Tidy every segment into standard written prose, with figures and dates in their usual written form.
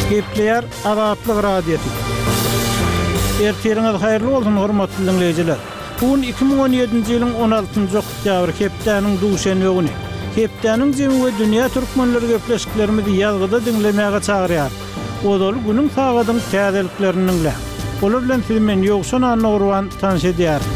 Gepleýär Azatlyk Radiosy. Ertiriňiz haýyrly bolsun, hormatly diňleýjiler! Bu gün 2017-nji ýylyň 16-njy oktýabry, hepdäniň duşenbe güni. Hepdäniň jemi we dünýä türkmenleri gepleşiklerimizi ýazgyda diňlemäge çagyrýar. Ozaly günüň sagadyň täzeliklerini diňläň. Olar bilen sizi men Ýowşan Annagurban tanyş edýärin.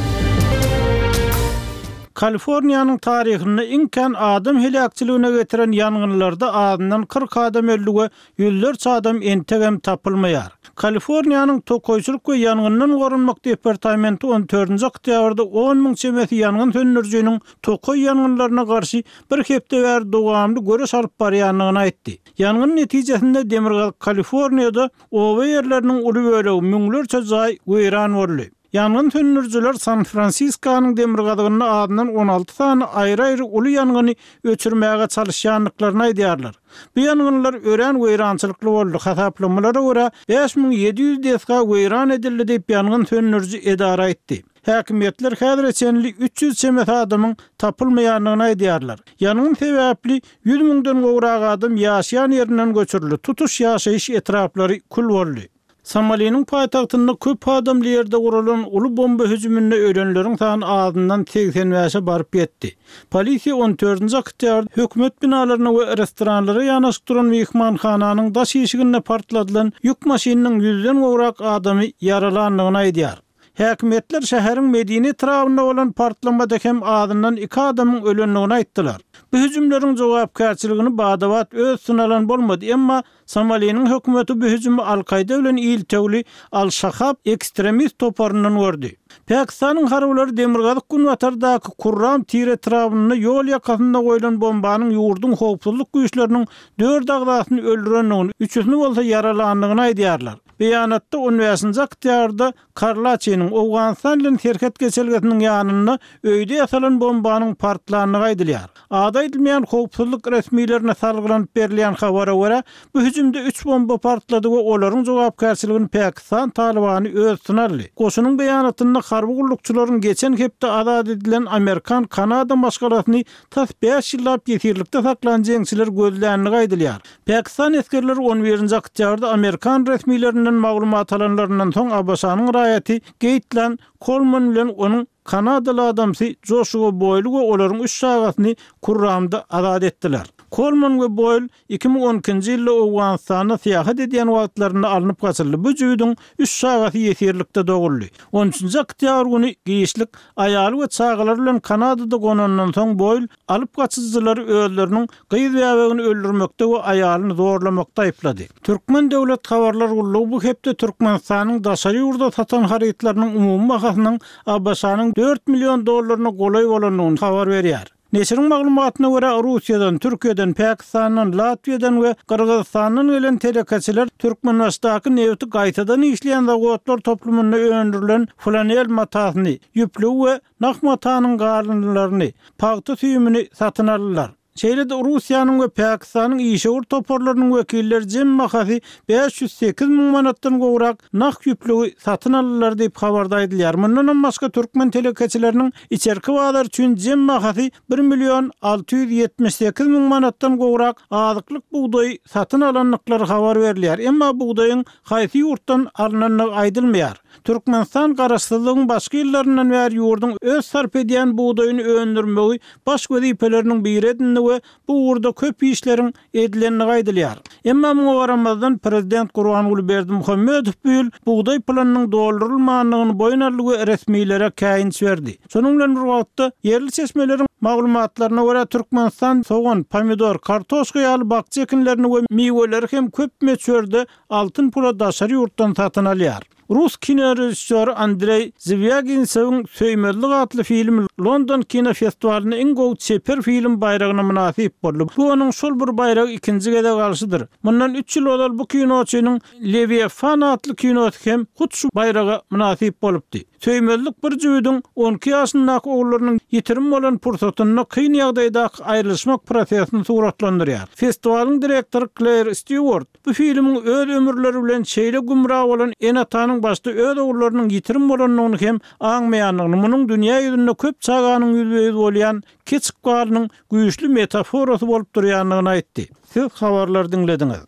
Kaliforniýanyň taryhynda iň kän adam heläkçiligine getiren ýangynlarda azyndan 40 adam öldi we ýüzlerçe adam entegem tapylmaýar. Kaliforniýanyň Tokaýçylyk we ýangyndan goranmak departamenti on dördünji oktýabrda 10 müň çemesi ýangyn söndürijiniň tokaý ýangynlaryna garşy bir hepde bäri dowamly göreş alyp barýandygyny aýtdy. Ýangyn netijesinde Demirgazyk Kaliforniýada oba ýerleriniň uly bölegi, müňlerçe jaý weýran boldy. Ýangyn söndürijiler San-Fransiskonyň demirgazygynda azyndan 16 sany aýry-aýry uly ýangyny öçürmäge çalyşýandyklaryny aýdýarlar. Bu ýangynlar örän weýrançylykly boldy, hasaplamalara görä, 5700 desga weýran edildi diýip, ýangyn söndüriji edara aýtdy. Häkimiýetler häzire çenli 300 çemesi adamyň tapylmaýandygyny aýdýarlar. Ýangyn sebäpli ýüz müňden gowrak adam ýaşaýan ýerinden göçürildi, tutuş ýaşaýyş etraplary kül boldy. Somaliniň paýtagtynda köp adamly ýerde guralan uly bomba hüjüminde ölenleriň sany azyndan 85-e baryp ýetdi. Polisiýa on dördünji oktýabrda hökümet binalaryna we restoranlara ýanaşyk duran myhmanhananyň daş işiginde partladylan ýük maşynynyň ýüzden gowrak adamy ýaralandygyny aýdýar. Häkimiýetler şäheriň Medine etrabynda bolan partlamada hem azyndan iki adamyň ölendigini aýtdylar. Bu hüjümleriň jogapkärçiligini bada-bat öz üstüne alan bolmady, emma Somaliniň hökümeti bu hüjümi Al-Kaýda bilen iltewli Al-Şahab ekstremist toparyndan gördi. Pakistanyň harbylary demirgazyk-günbatardaky Kurram Tir etrabynda ýol ýakasynda goýlan bombanyň ýurduň howpsuzlyk güýçleriniň dört agzasyny öldürendigini, üçüsini bolsa ýaralandygyny aýdýarlar. Beýanatda on bäşinji oktýabrda Karlaçynyň Owganystan bilen serhet geçelgesiniň ýanynda öýde ýasalan bombanyň partlandygy aýdylýar. Ady aýdylmaýan howpsuzlyk resmilerine salgylanyp berilýän habara görä, bu hüjümde üç bomba partlady we olaryň jogapkärçiligini Pakistan Talybany öz üstüne aldy. Goşunyň beýanatynda harby gullukçylaryň geçen hepde azat edilen amerikan-kanada maşgalasyny tas bäş ýyllap ýesirlikde saklan jeňçiler gözländigi aýdylýar. Pakistan esgerleri on birinji oktýabrda amerikan resmilerinden maglumat alanlaryndan soň ABŞ-nyň raýaty Geýtlan Kolman bilen onuň kanadaly adamsy Joşua Boýly we olaryň üç çagasyny Kurramda azat etdiler. Kolman we Boýl 2012-nji ýylda Owganystanda syýahat edýän wagtlarynda alnyp gaçyldy. Bu jübüdiň üç çagasy ýesirlikde doguldy. On üçünji oktýabr güni giçlik aýaly we çagalary bilen Kanadada gonandan soň Boýl alyp gaçyjylary özleriniň gyz bäbegini öldürmekde we aýalyny zorlamakda aýyplady. Türkmen döwlet habarlar gullugy bu hepde Türkmenistanyň daşary ýurda satan harytlarynyň umumy bahasynyň ABŞ-nyň dört million dollaryna golaý bolandygyny habar berýär. Neşiriň maglumatyna görä, Russiýadan, Türkiýeden, Pakistandan, Latwiýadan we Gyrgyzystandan gelen telekeçiler Türkmenbaşydaky nebiti gaýtadan işleýän zawodlar toplumynda öndürilen flanel matasyny, ýüplügi we nah matanyň galyndylaryny, pagta süýümini satyn aldylar. Şeýle-de Russiýanyň we Pakistanyň işewür toparlarynyň wekilleri jemi bahasy 508 müň manatdan gowrak nah ýüplügi satyn aldylar diýip, habarda aýdylýar. Mundanam başga türkmen telekeçileriniň içerki bazar üçin jemi bahasy bir million 678 müň manatdan gowrak azyklyk bugdaýy satyn alandyklary habar berilýär. Emma bugdaýyň haýsy ýurtdan alnandygy aýdylmaýar. Türkmenistan garaşsyzlygyň başky ýyllaryndan bäri ýurduň öz sarp edýän bugdaýyny öndürmegi baş wezipeleriniň biri edindi we bu ugurda köp işleriň edilendigi aýdylýar. Emma muňa garamazdan, prezident Gurbanguly Berdimuhamedow bu ýyl bugdaý planynyň doldurylmandygyny boýun aldy we resmilere käýinç berdi. Şonuň bilen bir wagtda, ýerli çeşmeleriň maglumatlaryna görä, Türkmenistan sogan, pomidor, kartoşka ýaly bakja ekinlerini we miweleri hem köp möçberde altyn pula daşary ýurtdan satyn alýar. Rus kinorežissýory Andreý Zwýaginsewiň Söýmezlik atly filmi London kinofestiwalynda iň gowy çeper film baýragyna mynasyp boldy. Bu onuň şol bir baýragy ikinji gezek alşydyr. Mundan üç ýyl ozal bu kinoçynyň Lewiafan atly kinosy hem hut şu baýraga mynasyp bolupdy. Söýmezlik bir jübüdiň on iki ýaşyndaky ogullarynyň ýitirim bolan pursatynda kyn ýagdaýdaky aýrylyşmak prosesini suratlandyrýar. Festiwalyň direktory Kleýr Stýuart bu filmiň öz ömürleri bilen şeýle gümra bolan ene-atanyň başda öz ogullarynyň ýitirim bolandygyny hem aňmaýandygyny, munuň dünýä ýüzünde köp çaganyň ýüzbe-ýüz bolýan keç ykbalynyň güýçli metaforasy bolup durýandygyny aýtdy. Siz habarlary diňlediňiz.